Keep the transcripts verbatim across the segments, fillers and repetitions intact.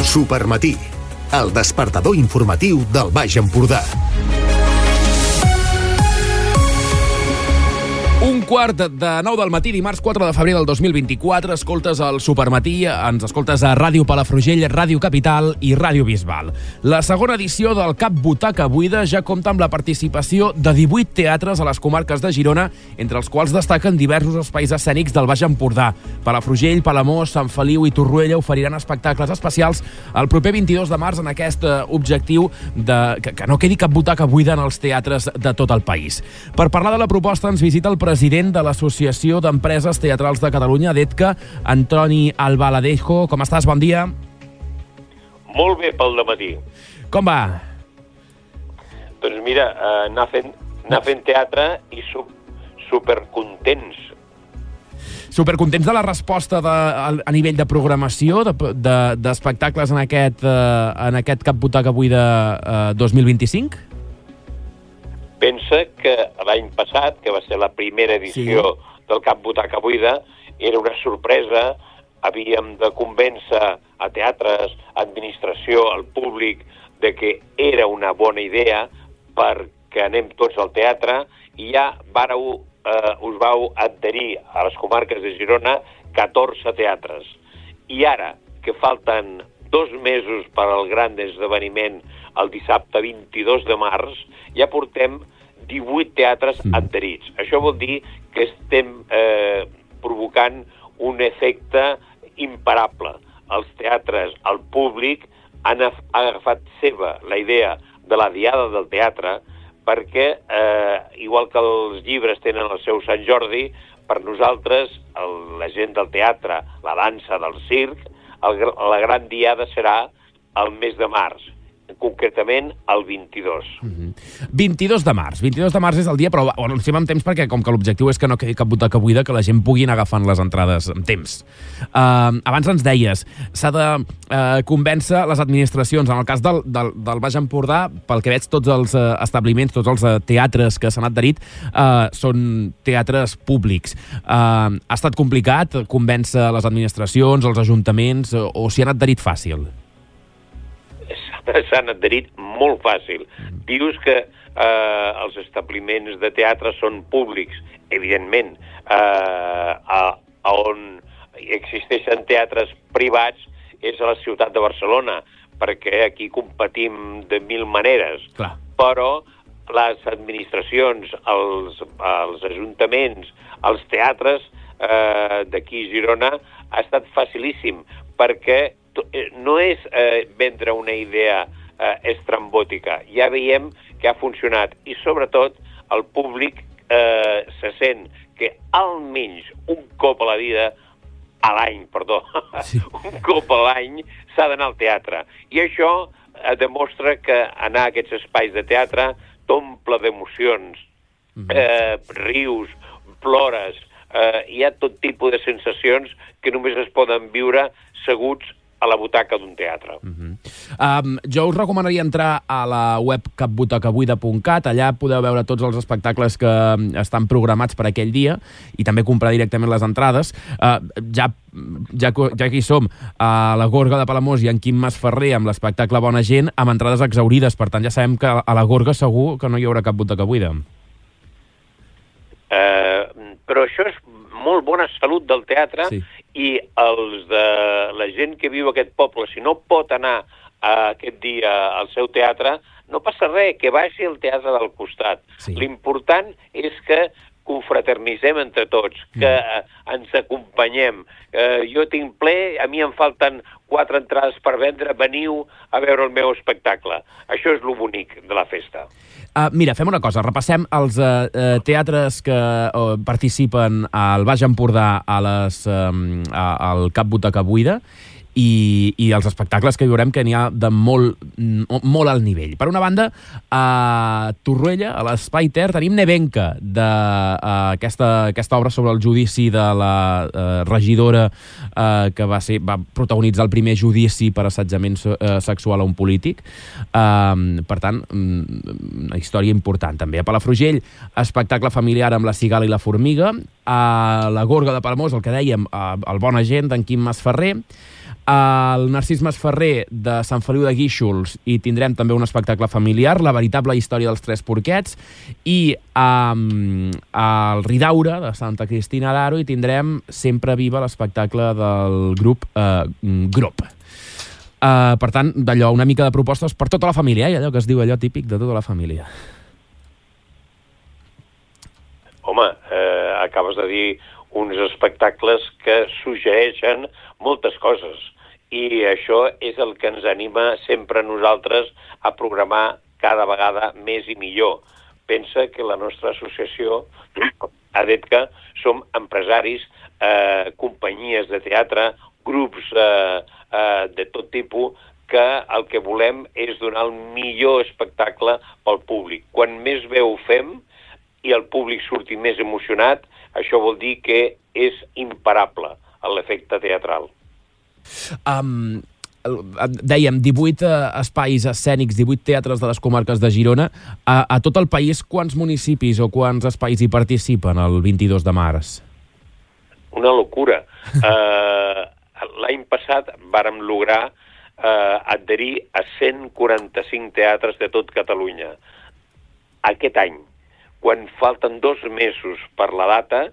Supermatí, el despertador informatiu del Baix Empordà. Un quart de nou del matí, dimarts quatre de febrer del dos mil vint-i-quatre, escoltes el Supermatí, ens escoltes a Ràdio Palafrugell, Ràdio Capital i Ràdio Bisbal. La segona edició del Cap Butaca Buida ja compta amb la participació de divuit teatres a les comarques de Girona, entre els quals destaquen diversos espais escènics del Baix Empordà. Palafrugell, Palamós, Sant Feliu i Torroella oferiran espectacles especials el proper vint-i-dos de març en aquest objectiu de que, que no quedi cap butaca buida en els teatres de tot el país. Per parlar de la proposta ens visita el president de l'Associació d'Empreses Teatrals de Catalunya, d'ETCA, Antoni Albaladejo. Com estàs? Bon dia. Molt bé pel dematí. Com va? Doncs mira, eh, anar, fent, anar fent teatre i su, supercontents. Supercontents de la resposta de, a, a nivell de programació, d'espectacles de, de, en, aquest, eh, en aquest Cap Butaca Buida eh, dos mil vint-i-cinc? Pensa que l'any passat, que va ser la primera edició sí. del Cap Butaca Buida, era una sorpresa. Havíem de convèncer a teatres, administració, al públic, de que era una bona idea perquè anem tots al teatre, i ja vareu, eh, us vau adherir a les comarques de Girona catorze teatres. I ara, que falten dos mesos per al gran esdeveniment el dissabte vint-i-dos de març, ja portem divuit teatres mm. adherits. Això vol dir que estem eh, provocant un efecte imparable. Els teatres, el públic, han agafat seva la idea de la diada del teatre perquè, eh, igual que els llibres tenen el seu Sant Jordi, per nosaltres, el, la gent del teatre, la dansa, del circ, el, la gran diada serà el mes de març, concretament el vint-i-dos. Mm-hmm. vint-i-dos de març. vint-i-dos de març és el dia, però ho anunciem amb temps perquè com que l'objectiu és que no quedi cap butaca buida, que la gent pugui anar agafant les entrades amb temps. Uh, abans ens deies, s'ha de uh, convèncer les administracions. En el cas del, del, del Baix Empordà, pel que veig, tots els uh, establiments, tots els uh, teatres que s'han adherit uh, són teatres públics. Uh, ha estat complicat convèncer les administracions, els ajuntaments, o, o s'hi han adherit fàcil? S'han adherit molt fàcil. Dius que eh, els establiments de teatre són públics. Evidentment, eh, a, a on existeixen teatres privats és a la ciutat de Barcelona, perquè aquí competim de mil maneres. Clar. Però les administracions, els, els ajuntaments, els teatres eh, d'aquí a Girona ha estat facilíssim, perquè no és eh, vendre una idea eh, estrambòtica. Ja veiem que ha funcionat i, sobretot, el públic eh, se sent que almenys un cop a la vida, a l'any, perdó, sí. un cop a l'any s'ha d'anar al teatre. I això eh, demostra que anar a aquests espais de teatre t'omple d'emocions, mm-hmm. eh, rius, plores, eh, hi ha tot tipus de sensacions que només es poden viure seguts a la butaca d'un teatre. Uh-huh. um, jo us recomanaria entrar a la web cap butaca buida punt cat. Allà podeu veure tots els espectacles que estan programats per aquell dia i també comprar directament les entrades. Uh, ja, ja, ja que hi som, a la Gorga de Palamós i en Quim Masferrer amb l'espectacle Bona Gent, amb entrades exaurides. Per tant, ja sabem que a la Gorga segur que no hi haurà cap butaca buida. Uh, però això és molt bona salut del teatre, sí. I els de la gent que viu a aquest poble, si no pot anar a aquest dia al seu teatre, no passa res, que vagi al teatre del costat. Sí. L'important és que confraternitzem entre tots, que mm. ens acompanyem. Eh, jo tinc ple, a mi em falten quatre entrades per vendre, veniu a veure el meu espectacle. Això és lo bonic de la festa. Uh, mira, fem una cosa, repassem els uh, uh, teatres que uh, participen al Baix Empordà a les, um, a, al Cap Butaca Buida i, i els espectacles que veurem que n'hi ha de molt, molt alt nivell. Per una banda, a Torroella, a l'Espai Ter, tenim Nevenka, d'aquesta uh, aquesta obra sobre el judici de la uh, regidora uh, que va, ser, va protagonitzar el primer judici per assetjament uh, sexual a un polític. Uh, per tant, una història important. També a Palafrugell, espectacle familiar amb La cigala i la formiga. A la Gorga de Palamós, el que dèiem, uh, el Bona Gent, d'en Quim Masferrer. al Narcís Masferrer de Sant Feliu de Guíxols hi tindrem també un espectacle familiar, La veritable història dels tres porquets, i um, al Ridaura de Santa Cristina d'Aro hi tindrem Sempre viva, l'espectacle del grup uh, Grup. Uh, per tant, d'allò, una mica de propostes per tota la família, eh? Allò que es diu allò típic de tota la família. Home, eh, acabes de dir uns espectacles que suggereixen moltes coses i això és el que ens anima sempre a nosaltres a programar cada vegada més i millor. Pensa que la nostra associació, a D E T C A, som empresaris, eh, companyies de teatre, grups eh, eh, de tot tipus, que el que volem és donar el millor espectacle pel públic. Quan més bé ho fem i el públic surti més emocionat, això vol dir que és imparable l'efecte teatral. Um, dèiem, divuit uh, espais escènics, divuit teatres de les comarques de Girona. A, a tot el país, quants municipis o quants espais hi participen el vint-i-dos de març? Una locura. Uh, L'any passat vàrem lograr uh, adherir a cent quaranta-cinc teatres de tot Catalunya. Aquest any, quan falten dos mesos per la data,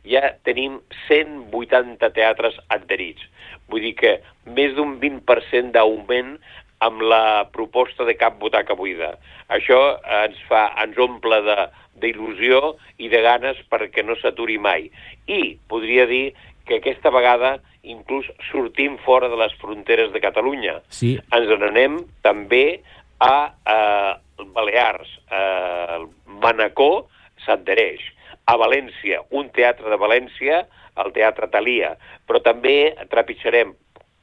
ja tenim cent vuitanta teatres adherits. Vull dir que més d'un vint per cent d'augment amb la proposta de Cap Butaca Buida. Això ens fa, ens omple de, d'il·lusió i de ganes perquè no s'aturi mai. I podria dir que aquesta vegada inclús sortim fora de les fronteres de Catalunya. Sí. Ens n'anem també a eh, Balears. Eh, Manacor s'adhereix. A València, un teatre de València, el Teatre Thalia, però també trepitjarem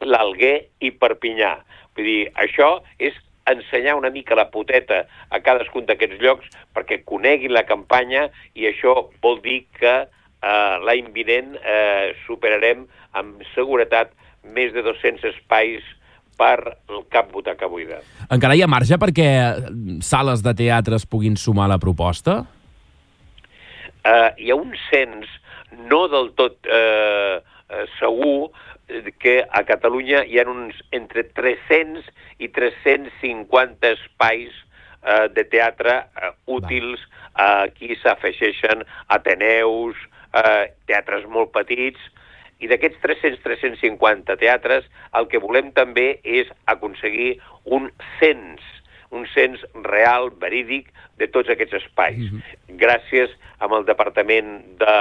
l'Alguer i Perpinyà. Vull dir, això és ensenyar una mica la poteta a cadascun d'aquests llocs perquè coneguin la campanya i això vol dir que eh, l'any vinent eh, superarem amb seguretat més de dos-cents espais per el Cap Butaca Buida. Encara hi ha marge perquè sales de teatre es puguin sumar a la proposta? Uh, hi ha un cens no del tot uh, uh, segur que a Catalunya hi ha uns entre tres-cents i tres-cents cinquanta espais uh, de teatre uh, útils. Uh, aquí s'afegeixen ateneus, uh, teatres molt petits, i d'aquests tres-cents a tres-cents cinquanta teatres el que volem també és aconseguir un cens, un cens real, verídic, de tots aquests espais. Mm-hmm. Gràcies amb el Departament de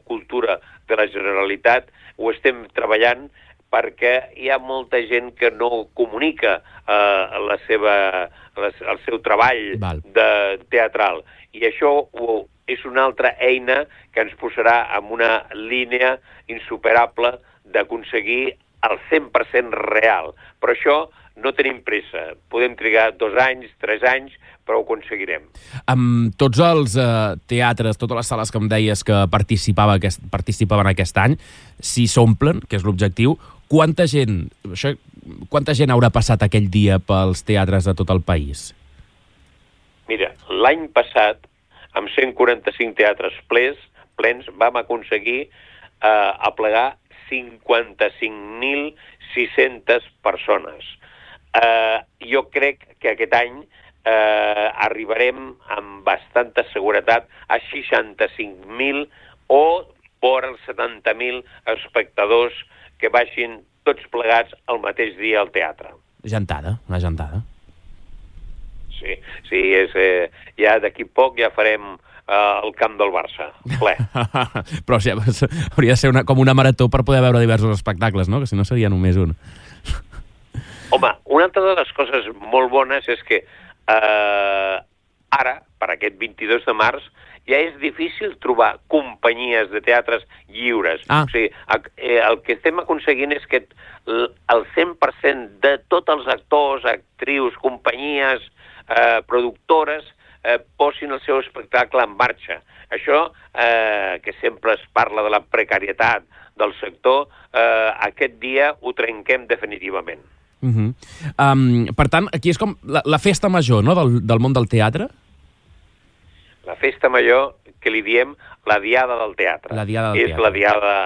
Cultura de la Generalitat ho estem treballant perquè hi ha molta gent que no comunica eh, la seva, la, el seu treball Val. de teatral. I això ho, és una altra eina que ens posarà en una línia insuperable d'aconseguir el cent per cent real. Però això no tenim pressa. Podem trigar dos anys, tres anys, però ho aconseguirem. Amb tots els eh, teatres, totes les sales que em deies que participava aquest, participaven aquest any, si s'omplen, que és l'objectiu, quanta gent, això, quanta gent haurà passat aquell dia pels teatres de tot el país? Mira, l'any passat, amb cent quaranta-cinc teatres plens, plens vam aconseguir eh, aplegar cinquanta-cinc mil sis-centes persones. Eh, jo crec que aquest any eh, arribarem amb bastanta seguretat a seixanta-cinc mil o vora els setanta mil espectadors que baixin tots plegats el mateix dia al teatre. Jantada, una jantada. Sí, sí, és, eh, ja d'aquí poc ja farem eh, el camp del Barça, ple. Però o sigui, hauria de ser una, com una marató per poder veure diversos espectacles, no? Que si no seria només un. Home, una altra de les coses molt bones és que eh, ara, per aquest vint-i-dos de març, ja és difícil trobar companyies de teatres lliures. Ah. O sigui, el que estem aconseguint és que el cent per cent de tots els actors, actrius, companyies, eh, productores, eh, posin el seu espectacle en marxa. Això, eh, que sempre es parla de la precarietat del sector, eh, aquest dia ho trenquem definitivament. Uh-huh. um, per tant, aquí és com la, la festa major, no?, del, del món del teatre? La festa major, que li diem la diada del teatre. La diada del és teatre. la diada,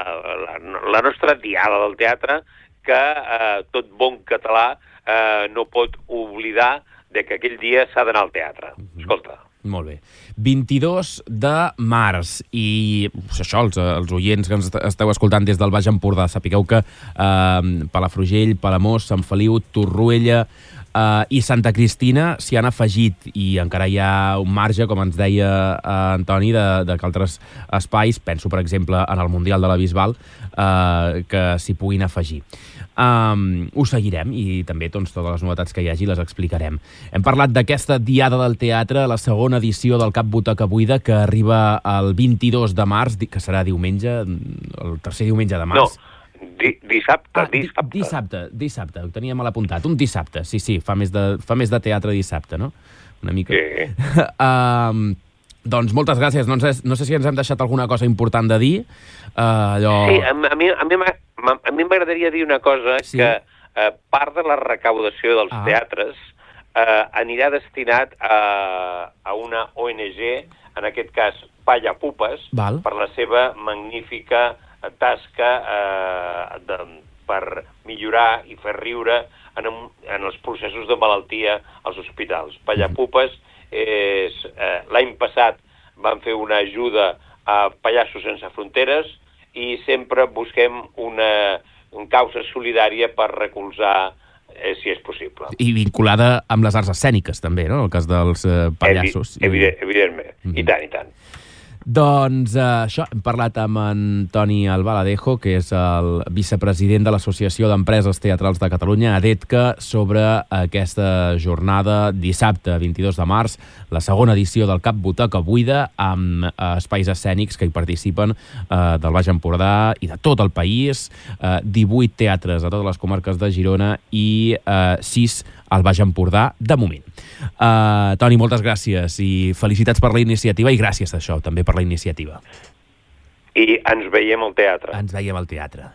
la, la nostra diada del teatre, que eh, tot bon català eh, no pot oblidar de que aquell dia s'ha d'anar al teatre. Escolta. Molt bé. vint-i-dos de març i això, els, els oients que ens esteu escoltant des del Baix Empordà, sapigueu que eh, Palafrugell, Palamós, Sant Feliu, Torroella Uh, i Santa Cristina s'hi han afegit i encara hi ha un marge, com ens deia uh, Antoni, de, de que altres espais, penso per exemple en el Mundial de la Bisbal, uh, que s'hi puguin afegir. Um, ho seguirem i també doncs, totes les novetats que hi hagi les explicarem. Hem parlat d'aquesta Diada del Teatre, la segona edició del Cap Butaca Buida, que arriba el vint-i-dos de març, que serà diumenge, el tercer diumenge de març. No. Di dissabte, ah, dissabte. Dissabte, dissabte, ho tenia mal apuntat. Un dissabte, sí, sí, fa més de, fa més de teatre dissabte, no? Una mica. Sí. uh, doncs moltes gràcies. No sé, no sé si ens hem deixat alguna cosa important de dir. Uh, allò... Sí, a, a mi a mi a mi m'agradaria dir una cosa, sí? que uh, part de la recaudació dels ah. teatres uh, anirà destinat a, a una O N G, en aquest cas Palla Pupes, Val. per la seva magnífica tasca eh, de, per millorar i fer riure en, en els processos de malaltia als hospitals. Pallapupes és... Eh, l'any passat van fer una ajuda a Pallassos Sense Fronteres i sempre busquem una, una causa solidària per recolzar, eh, si és possible. I vinculada amb les arts escèniques, també, no? El cas dels eh, pallassos. Evi evident, evidentment, mm-hmm. i tant, i tant. Doncs eh, això, hem parlat amb Antoni Albaladejo, que és el vicepresident de l'Associació d'Empreses Teatrals de Catalunya, ADETCA, sobre aquesta jornada dissabte, vint-i-dos de març, la segona edició del Cap Butaca Buida, amb eh, espais escènics que hi participen eh, del Baix Empordà i de tot el país, eh, divuit teatres a totes les comarques de Girona i eh, sis al Baix Empordà, de moment. Uh, Toni, moltes gràcies i felicitats per la iniciativa i gràcies, això, també per la iniciativa. I ens veiem al teatre. Ens veiem al teatre.